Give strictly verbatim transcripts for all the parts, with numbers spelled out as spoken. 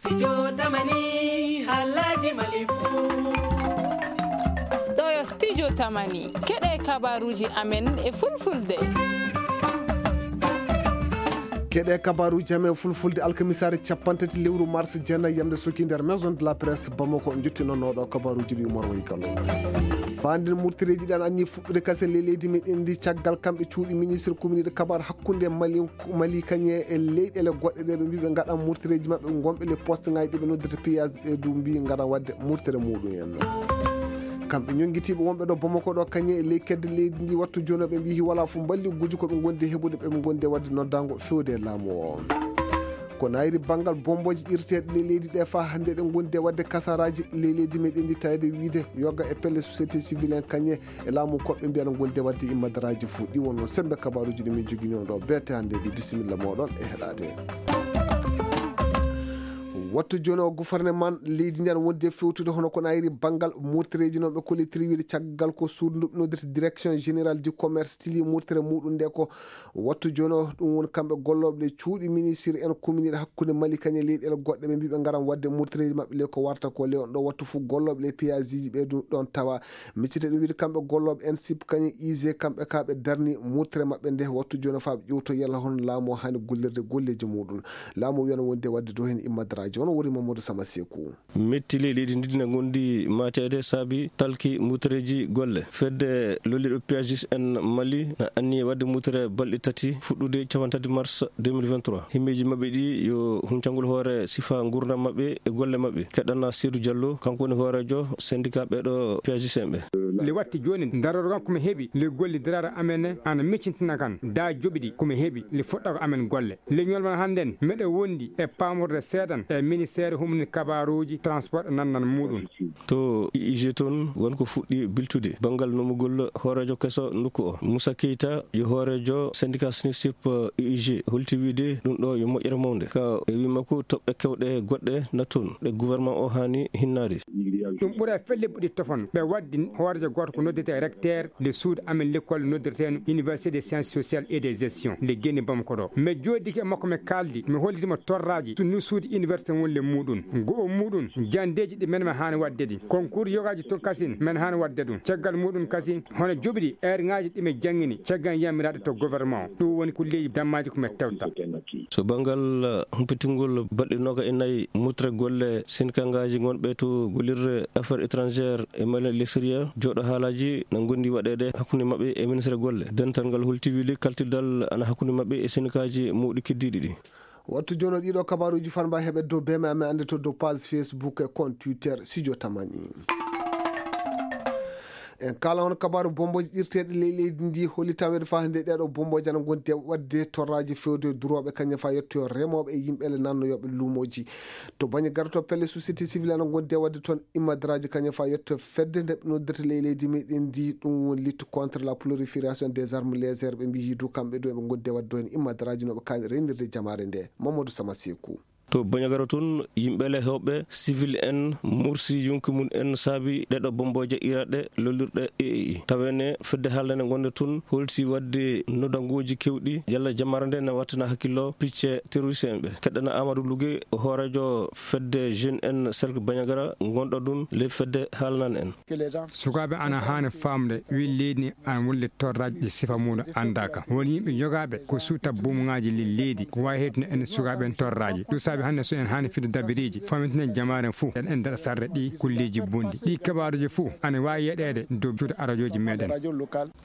Studio Tamani, halaji Mali fu. Ɗo yo Studio Tamani. Keɗe kabaruji amen e fulfulde. Keɗe kabaruji amen fulfulde alkamisaare capanɗe tati lewru mars, jeenayi yamde soki nder Maison de la Presse Bamako, jottinonooɗo kabaruji ɗi Umar Wayi Kano. Faanden murtireeji ɗan anni fuɗɗude kasen ley leydi meɗen ndi, caggal kamɓe cuuɗi ministre communiɗe kabar hakkunde Mali, Mali kañe e leyɗele goɗɗe ɗe ɓe mbi ɓe ngaɗan murtireeji maɓɓe gonɓe ley poste ngaji ɗi ɓe noddirta piyas, ɓe du mbi ngaɗan wadde murtere muɗum en. Kamɓe ñonngitiiɓe wonɓe ɗo Bamako ɗo kañe e ley kedde leydi ndi, wattu jooni ɓe mbi wala fof mballi guji ko ɓe ngondi e heɓude ɓe ɓe ngondi e wadde noddango fewde e laamu o. Ko nayri banngal bombooji irteeɗe ley leydi ɗe faa hannde ɗe ngondi e wadde kasaraaji ley leydi meɗen ndi, tawede wiide yoga e pelle société civile en kañe e laamu koɓɓe mbiyana ngondi e wadde immadaraaji fof. Ɗi wonno sembe kabaruji ɗi min jogini on ɗo beete hannde ɗi. Bisimilla moɗon e heɗade. Wattu jooni o gouvernement leydi ndi ana wondi e fewtude hono ko nayri banngal murtereeji noon ɓe kollitiri wiide caggal ko suudu ndu ɓe noddirta direction générale du commerce tili murtere muɗum nde ko wattu jooni o. Ɗum woni kamɓe gollooɓe ɗe cuuɗi ministre en communiɗe hakkunde Mali kañe leyɗeele goɗɗe ɓe mbi ɓe ngaran wadde murtereeji maɓɓe ley ko warta ko ley on ɗo wattu fof gollooɓe ɗe piyasiji ɓe ɗum ɗon tawa. Miccite ɗum wiide kamɓe gollooɓe en sip kañe ise kamɓe ka ɓe darni murtere maɓɓe nde wattu jooni o faa ɓe ƴewto yalla hono laamu o haani gollirde golleeji muɗum. Laamu o wiyana wondi e wadde dow heen immadaraaji. Hono woni Mamadou Sama Seku. Metti ley leydi ndi na ngondi maateede saabi talki mutereeji golle. Fedde lolliɗo P A G S en Mali na anniye wadde mutere balɗe tati fuɗɗude capantati mars deux mille vingt-trois. Himmeeji maɓɓe ɗi yo huncangol hoore sifa ngurdam maɓɓe e golle maɓɓe. Keɗana Seydou Diallo, kanko woni hooreejo syndicat ɓeɗo P A G S en ɓe. Le watti jooni darorgal ko mi heɓi le gollidiraare amen ana miccintina kan da joɓiɗi ko mi heɓi le fuɗɗa ko amen golle. Leñol man hannden, miɗo wondi e paamorde seeɗan e ministeer humni kabaaruuji transport e nannan muuɗum. To U I G toon, won ko fuɗɗi biltude banngal nomugol hooreejo keso nokku o. Moussa Keita, yo hooreejo syndicat SNISIP U I G, holti wiide ɗum ɗo yo moƴƴere mawnde. Ka e wii makko, toɓɓe kewɗe goɗɗe na toon, ɗe gouvernement o haani hinnaade. Ɗum ɓura felle buɗi tofon. Ɓe waddi hooreejo gooto ko noddetee recteur de suudu amen l'école noddirteeno Université des Sciences Sociales et des Gestion nde geni Bamako ɗo. Mi jooɗike e makko, mi kaaldi, mi hollitii mo torraaji no suudu université woni le muuɗum. Go'o muuɗum, janndeeji ɗi men mi haani waɗde ɗi. Concours yogaaji tun kasin men haani waɗde ɗum. Caggal muuɗum kasin, hono joɓiɗi eerŋaaji ɗi mi janngini caggal yammiraaɗe to gouvernement. Ɗum woni kulleeji dammaaji ko mi tewta. So banngal, uh, humpitingol balɗe nooga e nayi mutre golle sinkangaaji ngonɓe to gollirre affaires étrangères e Mali l'extérieur, jooɗo haalaaji na ngondi waɗeede hakkunde maɓɓe e ministre golle. Dental ngal holti wiide kaltirdal ana hakkunde maɓɓe e sinkaaji mawɗi keddiiɗi ɗi. Wattu jooni o ɗiɗo kabaruuji fanba heɓe dow beme amen annde to dow page Facebook e compte Twitter Studio Tamani. En kala on kabaru bombooji irteeɗe ley leydi ndi holi taweede faa hannde ɗeeɗo bombooji ana ngondi e waɗde torraaji fewde durooɓe kañum faa yettoyo remooɓe e yimɓe ele nannoyooɓe luumooji. To baŋnge garoto pelle société civile ana ngondi e waɗde toon immadaraaji kañum faa yetto fedde nde ɓe noddirta ley leydi meɗen ndi, ɗum woni lutte contre la prolifération des armes légères, ɓe mbiyi du kamɓe du eɓe ngondi e waɗde heen immadaraaji no ɓe kaani reynirde jamaare nde. Mamadou Sama Seku. To Bandiagara tun, yimɓe le hewɓe civil en mursi yonki mun en saabi ɗeɗo bombooje iraɗe lollirɗe E A I. Tawene fedde haalnane gonde tun holti wadde nodangooji kewɗi yalla jamare nde na wattina hakkillo picce terroriste en ɓe. Keɗɗana Amadou Lougue, hoorejo fedde jeune en cercle Bandiagara gonɗo ɗun le fedde haalnane en. Sukaaɓe ana haani faamde wi leydi ni ana wolle torraaji ɗi sifa muuɗum anndaaka. Won yimɓe jogaaɓe ko suuta bumŋaaji le leydi, ko waawi heedtude en sukaaɓe en torraaji. Ɗum saabi hannde so en haani fidde dabiriiji, famitinen jamaare fuu, en en daɗa sarde ɗi kulleeji bonɗi. Ɗi kabaaruuji fuu ana waawi yeɗeede dow cuuɗi arajooji meɗen.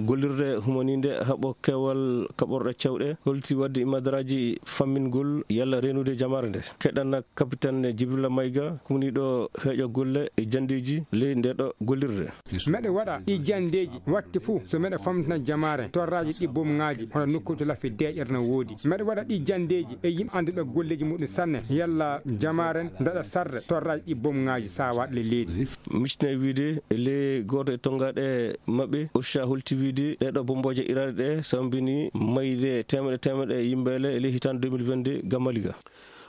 Gollirde humaniinde haɓo keewal kaɓorɗe cewɗe, holti wadde imadaraaji fammingol yalla reenude jamaare nde. Keɗɗana Capitaine Djibrila Maïga, kumniiɗo heeƴo golle e janndeeji ley ndeeɗo gollirde. Meɗe waɗa ɗi janndeeji watti fuu so meɗe famtina jamaare torraaji ɗi bomŋaaji hono nokkuuji to laffi deeƴere no woodi. Meɗe waɗa ɗi janndeeji e yimɓe annduɓe golleeji muɗum sanne yalla jamaare daɗa sarde torraaji ɗi bomŋaaji saawaaɗi le leydi. Micne wiide le gooto e tonngaaɗe maɓɓe, OSHA holti wiide ɗeeɗo bombooje iraade ɗe sambini mayde teemeɗe teemeɗe yimɓe le e ley hitaande deux mille vingt-deux ga Maliga.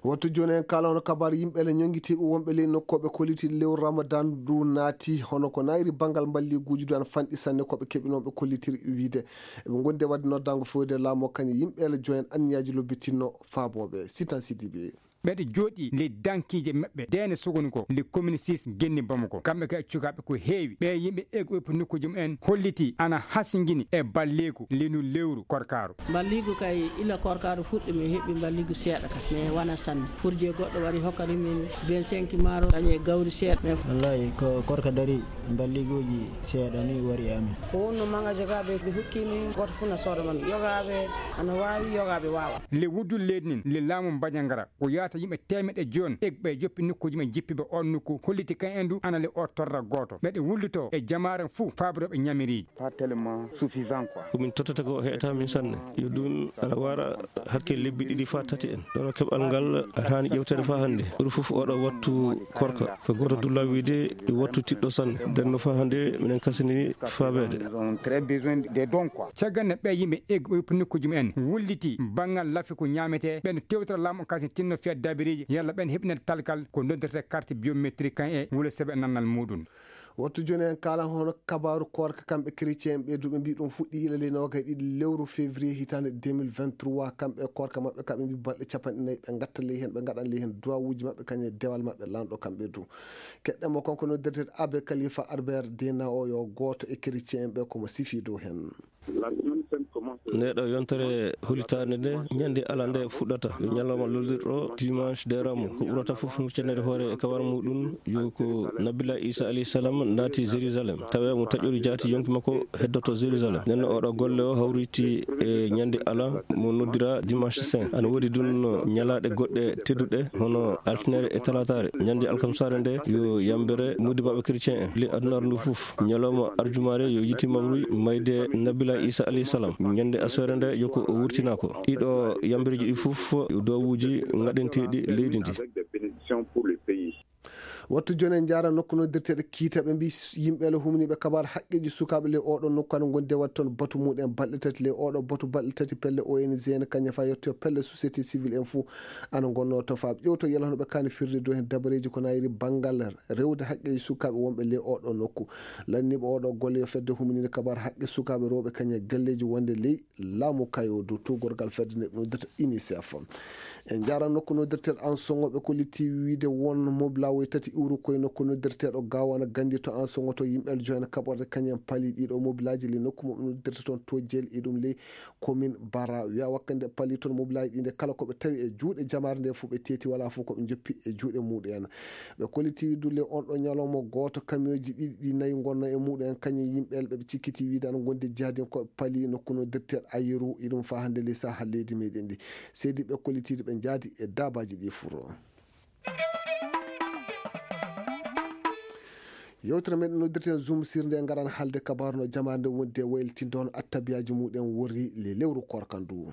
Wattu jooni en kala hono kabaar yimɓe le ñonngitiiɓe wonɓe ley nokkooɓe kolliti lewru Ramadan ndu naati, hono ko nayri banngal mballiguuji du ana fanɗi sanne ko ɓe keɓinooɓe kollitiri wiide. Eɓe ngondi e waɗde noddaango fewde laamu o kañum yimɓe le joyen anniyaaji lobbitinno faabooɓe. Sitan Sidibe. Ɓeɗe jooɗi ley dankiije maɓɓe deene sogoni ko le communiste genni Bamako. Kamɓe kay cukaaɓe ko heewi. Ɓe yimɓe eego ɓe nokkuuji mumen holliti ana hasingini e balleeku linu lewru korkaaru. Mballigu kay ila korkaaru fuɗɗi mi heɓi mballigu seeɗa ka. Mais wana sanne. Furje goɗɗo wari hokkani min vingt-cinq maaro, kañe gawri seeɗa. Mais wallahi ko korka dari, mballiguuji seeɗa ni wari e amin. Ko wonno magasin ka ɓe, ɓe hokki min goto fu na sooda man. Yogaaɓe ana waawi, yogaaɓe waawa. Le wuddu leydi nin, le laamu Mbañangara, ko yaata yimɓe teemeɗe jooni, egɓe joppi nokkuuji men jippiɓe on nokku, holliti kan en du ana le o torra gooto. Ɓeɗe wulluto e jamaare fuu faabiroɓe ñamiriiji. Pas tellement suffisant, quoi. Ko min tottata ko heɓata min sanne. Yo ɗum ana wara hakke lebbi ɗiɗi faa tati en. Ɗono keɓal ngal ana haani ƴewtere faa hannde. Ɓuri fof oɗo wattu korka. Ko gooto dulla wiide e wattu tiɗɗo sanne. Nden no faa hannde minen kasini faabeede. Nous avons très besoin des dons, quoi. Caggal nde ɓee yimɓe eggu ɓe yoppi nokkuuji mumen, wulliti banngal lafi ko ñaametee, ɓen tewtira laamu kasi tinno fiya daabiriiji, yalla ɓen heɓinat kalkal ko noddirtee carte biométrique kan e wule sebe nannal muuɗum. Wattu jooni en kaala hono kabaaru koorka kamɓe chrétien ɓe duɓe mbi ɗum fuɗɗi ila ley noogay ɗiɗi lewru février hitaande deux mille vingt-trois, kamɓe koorka maɓɓe kaɓe mbi balɗe capanɗe nayi ɓe ngatta ley heen, ɓe ngaɗan ley heen duwawuuji maɓɓe kañum e dewal maɓɓe lanɗo kamɓe du. Keɗɗen mo kanko noddirteeɗo Abbé Khalifa Albert Dena o yo gooto e chrétien ɓe komo sifi dow heen. Nde ɗo yontere hulitaande nde, ñande ala nde fuɗɗata, yo ñalawma lollirɗo dimanche de Ramo, ko ɓurata fof muccanede hoore e kawar muɗum, yo ko Nabila Isa alayhi salam naati Jérusalem, tawi mo taƴori jaati yonki makko heddoto Jérusalem. Nden oɗo golle o hawriti e ñande ala mo noddira dimanche saint. Ana woodi ɗum ñalaaɗe goɗɗe tedduɗe, hono altinere e talataare. Ñande alkamsaare nde, yo yambere modibaɓe chrétien en, le adunaaru ndu fof. Ñalawma arjumaare yo yiite mawri mayde Nabila Isa alayhi salam. Ñande aswere nde yo ko o wurtina ko. Ɗiɗo yambereeji ɗi fof, duwawuuji ngaɗanteeɗi leydi ndi. Wattu jooni en njaara nokku noddirteeɗo Kiita, ɓe mbi yimɓe le humniiɓe kabaar haqqeeji sukaaɓe le oɗo nokku ana ngondi e waɗde toon batu muɗum en balɗe tati. Le oɗo batu balɗe tati pelle O N G en kañum fa yetto pelle société civile en fof ana ngonno to faa ƴewto yalla hono ɓe kaani firde dow heen dabareeji ko nayiri banngal rewde haqqeeji sukaaɓe wonɓe le oɗo nokku. Lanniiɓe oɗo golle yo fedde humniinde kabaar haqqe sukaaɓe rewɓe kañum e galleeji wonde ley laamu kayo dow tuugorgal fedde nde ɗum noddata UNICEF. En njaara nokku noddirteeɗo Ansongo, ɓe kolliti wiide won mobilaawoy tati iwru koye nokku noddirteeɗo Gawana Gandi to Ansongo to yimɓe jooni kaɓorde kañum en pali ɗiɗo mobilaaji ley nokku mo ɓe noddirta toon to jeel e ɗum ley commune Bara. Wiya wakkande pali toon mobilaaji ɗi nde kala ko ɓe tawi e juuɗe jamaare nde fof ɓe teeti wala fof ko ɓe joppi e juuɗe muɗum en. Ɓe kolliti wiide le on ɗo ñalawma gooto kamiyooji ɗiɗi ɗi nayi ngonno e muɗum en kañum yimɓe ɓe ɓe cikkiti wiide ana ngondi jahdiyankooɓe pali nokku noddirteeɗo Ayeru e ɗum faa hannde ley saha leydi meɗen ndi. Seydi ɓe kollitiiɗo ɓe njaadi e daabaaji ɗi furo. Yewtere men noddirten Zoom sirnde ngaran haalde kabaaru no jamaande wonde waylitinde hono attabiyaaji muɗum worri le lewru korka ndu.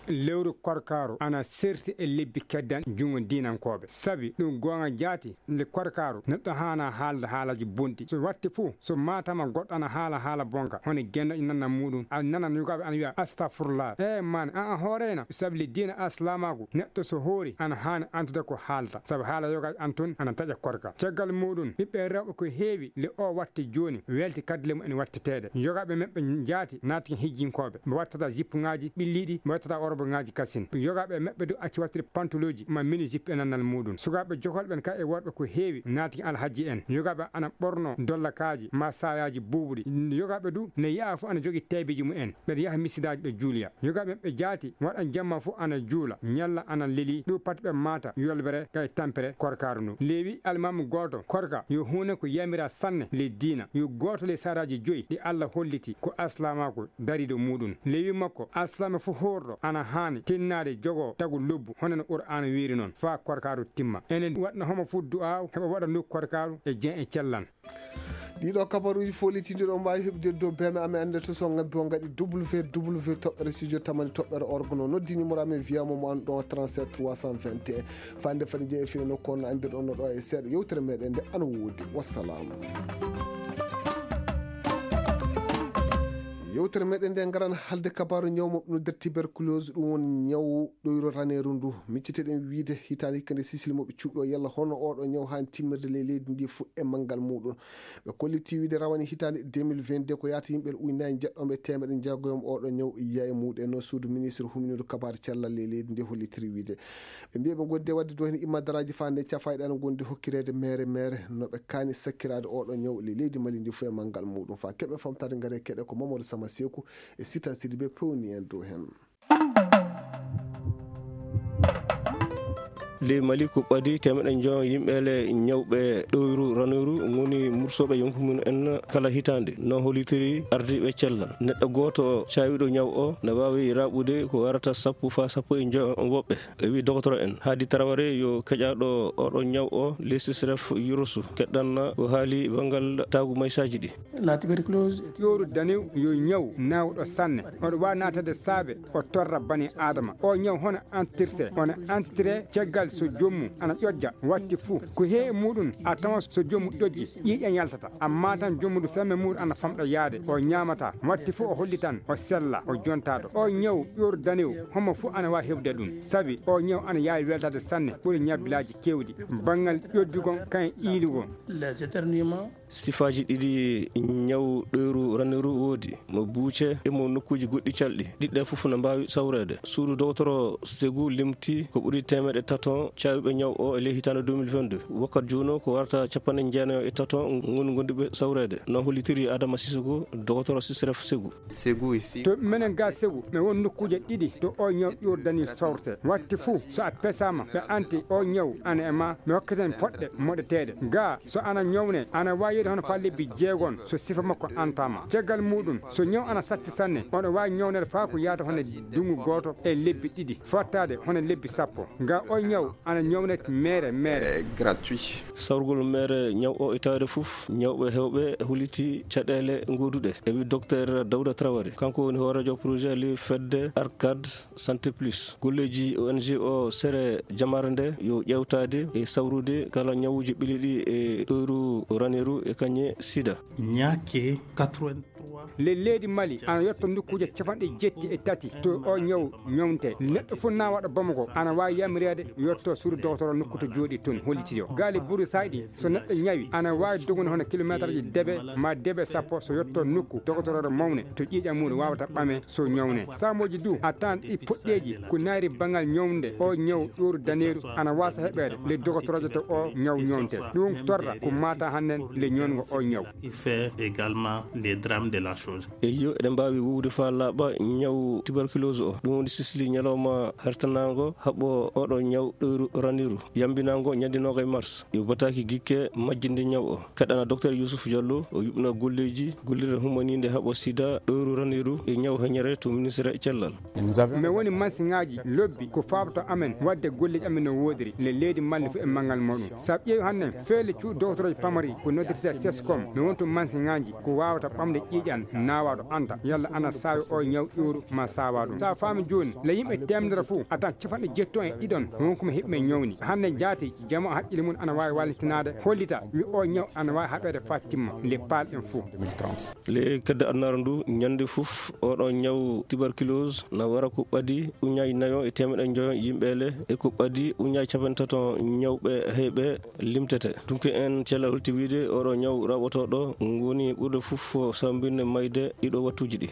Lewru korkaaru ana serti e lebbi keddan junngo diinankooɓe. Sabi ɗum goonga jaati nde korkaaru neɗɗo haana haalda haalaaji bonɗi. So watti fuu, so maatama goɗɗo ana haala haala bonka, hono gennooɗo nanna muɗum, a nanan yogaaɓe ana wiya, "Astafurlah." E maani, an a hooreyna. Sabi le diina aslaamaaku, neɗɗo so hoori, ana haani antude ko haalta. Sabi haala yogaaɓe an tun ana taƴa korka. Caggal muɗum, ɓiɓɓe rewɓe ko heewi le o watti jooni, welti kadle mumen watteteeɗe. Yogaaɓe men ɓe jaati naati hijjinkooɓe. Ɓe wattata jippuŋaaji ɓilliiɗi, ɓe wattata oroboŋaaji kasin. Yogaaɓe maɓɓe du acci wattude pantolooji ma mini jippi e nannal muɗum. Sukaaɓe jokolɓe en ka e worɓe ko heewi naati alhaji en. Yogaaɓe ana ɓorno dollakaaji ma saayaaji buubuɗi. Yogaaɓe du ne yaha fof ana jogii teebeeji mumen. Ɓe yaha misidaaji ɓe juuliya. Yogaaɓe ɓe jaati waɗan jamma fof ana juula. Ñalla ana lelii. Ɗum pat ɓe maata yolbere ka e tampere korkaaru ndu. Lewi almaamu gooto korka yo huune ko yamira sanne le diina. Yo gooto le saraaji joyi ɗi Alla holliti ko aslaamaaku dariiɗo muɗum. Lewi makko, aslaama fof hoorɗo ana haani tinnaade jogoo tagu lobbu, hono no Qur'aana wiiri noon, faa korkaaru timma. Enen waɗna homo fof du'aaw, heɓa waɗa nokku korkaaru e jen e cellan. Ɗiɗo kabaruuji fof litiiɗo ɗo mbaawi heɓde dow B M amen annde to so ngabbi o ngaɗi W W W toɓɓere studio tamani toɓɓere org no noddi numéro amen wiya mo mo an ɗon trente-sept trois cent vingt et un. Fande fande jeeyi feewno kono anndirɗon no ɗo e seeɗa yewtere meɗen nde ana woodi. Wassalam. Wutere meɗen nde ngarana haalde kabaaru ñaw moɓɓe no nder tuberculose, ɗum woni ñaw ɗoyro raneeru ndu. Micciteɗen wiide hitaande hikka nde sisili moɓɓe cuuɗi o, yalla hono oɗo ñaw haani timmirde ley leydi ndi fuɗɗe manngal muɗum. Ɓe kolliti wiide rawane hitaande deux mille vingt-deux ko yaata yimɓe ujunaaji jeɗɗo e teemeɗe jeego oɗo ñaw yiya e muɗum, no suudu ministre humindu kabaaru cellal ley leydi ndi hollitiri wiide. Ɓe mbiya ɓe ngondi e waɗde ɗo heen immadaraaji faa nde cafayɗe ana ngondi hokkireede meere meere no ɓe kaani sakkiraade oɗo ñaw ley leydi Mali ndi fof e manngal muɗum. Faa keɓe famtaade ngare keɗe ko Mamadou Sama Seeku e Sitan Sidibe pewni en dow heen. Ley Mali ko ɓadi teemeɗe njoyo yimɓe le ñawɓe ɗoyru raneeru ngoni mursooɓe yonki mum en kala hitaande, no hollitiri ardiiɓe cellal. Neɗɗo gooto caawiiɗo ñaw o na waawi raɓɓude ko warata sappo faa sappo e njoyo woɓɓe. E wi dogotoro en Haadi Taraware yo keƴaaɗo oɗo ñaw o, lesisref yurusu keɗɗanna ko haali banngal taagu maysaaji ɗi. La tuberculose est ƴooru danew yo ñaw naawɗo sanne. Oɗo waawi naatade saabe o torra bani Aadama. O ñaw hono antirte, ono antitire caggal so joomum ana ƴoƴƴa. Watti fuu ko he muɗum a tawan so joomum ƴoƴƴi, ƴiiƴan yaltata. Amma tan joomum semme muɗum ana famɗa yaade, o ñaamata. Watti fuu o hollitan o sella, o jontaɗo. O ñaw ƴooru danew homo fuu ana waawi heɓde ɗum. Sabi o ñaw ana yaawi weltaade sanne, ɓuri ñabbilaaji keewɗi. Banngal ƴoƴƴugol kayen iilugol. Les éternuements. Sifaaji ɗiɗi ñaw ɗoyru raneeru woodi, mo buuce e mo nokkuuji goɗɗi calɗi. Ɗiɗɗe fof no mbaawi sawreede. Suudu dogotoro Segu limti ko ɓuri teemeɗe tato caawɓe ñaw o e ley hitaande deux mille vingt-deux. Wakkat jooni o ko warata capanɗe jeenayo e tato ngoni gonduɓe sawreede. No hollitiri Adama Sisoko, dogotoro Sisref Segu. Segu ici. To menen ga Segu, mi won nokkuuje ɗiɗi to o ñaw ƴoordani sawrte. Watti fuu, so a pesaama, ɓe anti o ñaw ana e ma, mi hokketen poɗɗe moɗeteeɗe. Ga, so ana ñawne, ana waawi yeeɗi hono faa lebbi jeegon, so sifa makko antama. Caggal muɗum, so ñaw ana satti sanne, oɗo waawi ñawnede faa ko yaata hono dungu gooto e lebbi ɗiɗi, fottaade hono lebbi sappo. Ga o ñaw ana ñawne meere meere. Eh, gratuit. Sawrugol meere ñaw o e tawde fof, ñawɓe heewɓe huliti caɗeele gooduɗe. E wi Docteur Dawda Traoré, kanko woni hooreejo projet li fedde Arcade Santé Plus. Golleeji O N G o sere jamare nde yo ƴeewtaade e sawrude kala ñawuuji ɓili ɗi e ɗoyru raneeru e kañe sida. Ñakke quatre-vingt-trois. Le leydi Mali ana yetto nokkuuje capanɗe jetti e tati to o ñaw ñawnte. Neɗɗo fof na waɗa Bamako ana waawi yamireede yetto suudu dogotoro nokku to jooɗi toon hollitiyo. Gaale buru sayɗi so neɗɗo ñawi ana waawi dogude hono kilomeeterji debe ma debe sappo so yetto nokku dogotoro mawne to ƴiiƴam mum waawata ɓame so ñawne. Saamooji du a tan ɗi poɗɗeeji ko naari banngal ñawnde o ñaw ƴooru daneeru ana waasa heɓeede le dogotorojo to o ñaw ñawnte. Ɗum torra ko mata hannden le ñawngo o ñaw. Il fait également les drames de la chose. Eyo, eɗen mbaawi wuwde faa laaɓa ñaw tuberculose o. Ɗum woni sisli ñalawma hertanaango haɓɓo oɗo ñaw ɗoyru raniru, yambinaango ñande noogay mars. Yo bataaki gikke majjinde ñaw o. Kaɗana Docteur Youssouf Diallo, o yuɓna golleeji gollirde humaniinde haɓɓo sida, ɗoyru raniru e ñaw heñere to ministre cellal. Min woni mansiŋaaji lobbi ko faaboto amen waɗde golleeji amen no woodiri le leydi Mali fof e manngal muɗum. Sabu ƴeewi hannden feele cuuɗi dogotoroje pamari ko noddirtee sescom, mi wonto mansiŋaaji ko waawata ɓamde ƴiiƴan naawaaɗo anta yalla ana saawi o ñaw ƴooru ma saawa ɗum. Sa faami jooni le yimɓe teemedere fof a tan capanɗe jetti e ɗiɗon won ko mi heɓi men ñawni. Hannde jaati jama haqqille mum ana waawi wallitinaade hollita wi o ñaw ana waawi haɓeede faa timma le paal en fof. Le kedde annaara ndu ñande fof oɗo ñaw tuberculose na wara ko ɓadi uñaaji nayo e teemeɗe njoyo yimɓe le e ko ɓadi uñaaji capanɗe tato ñawɓe heyɓe limtete. Dunke en cella holti wiide oɗo ñaw raɓotooɗo ngoni ɓurde fof sambinde mayde ɗiɗo wattuuji ɗi.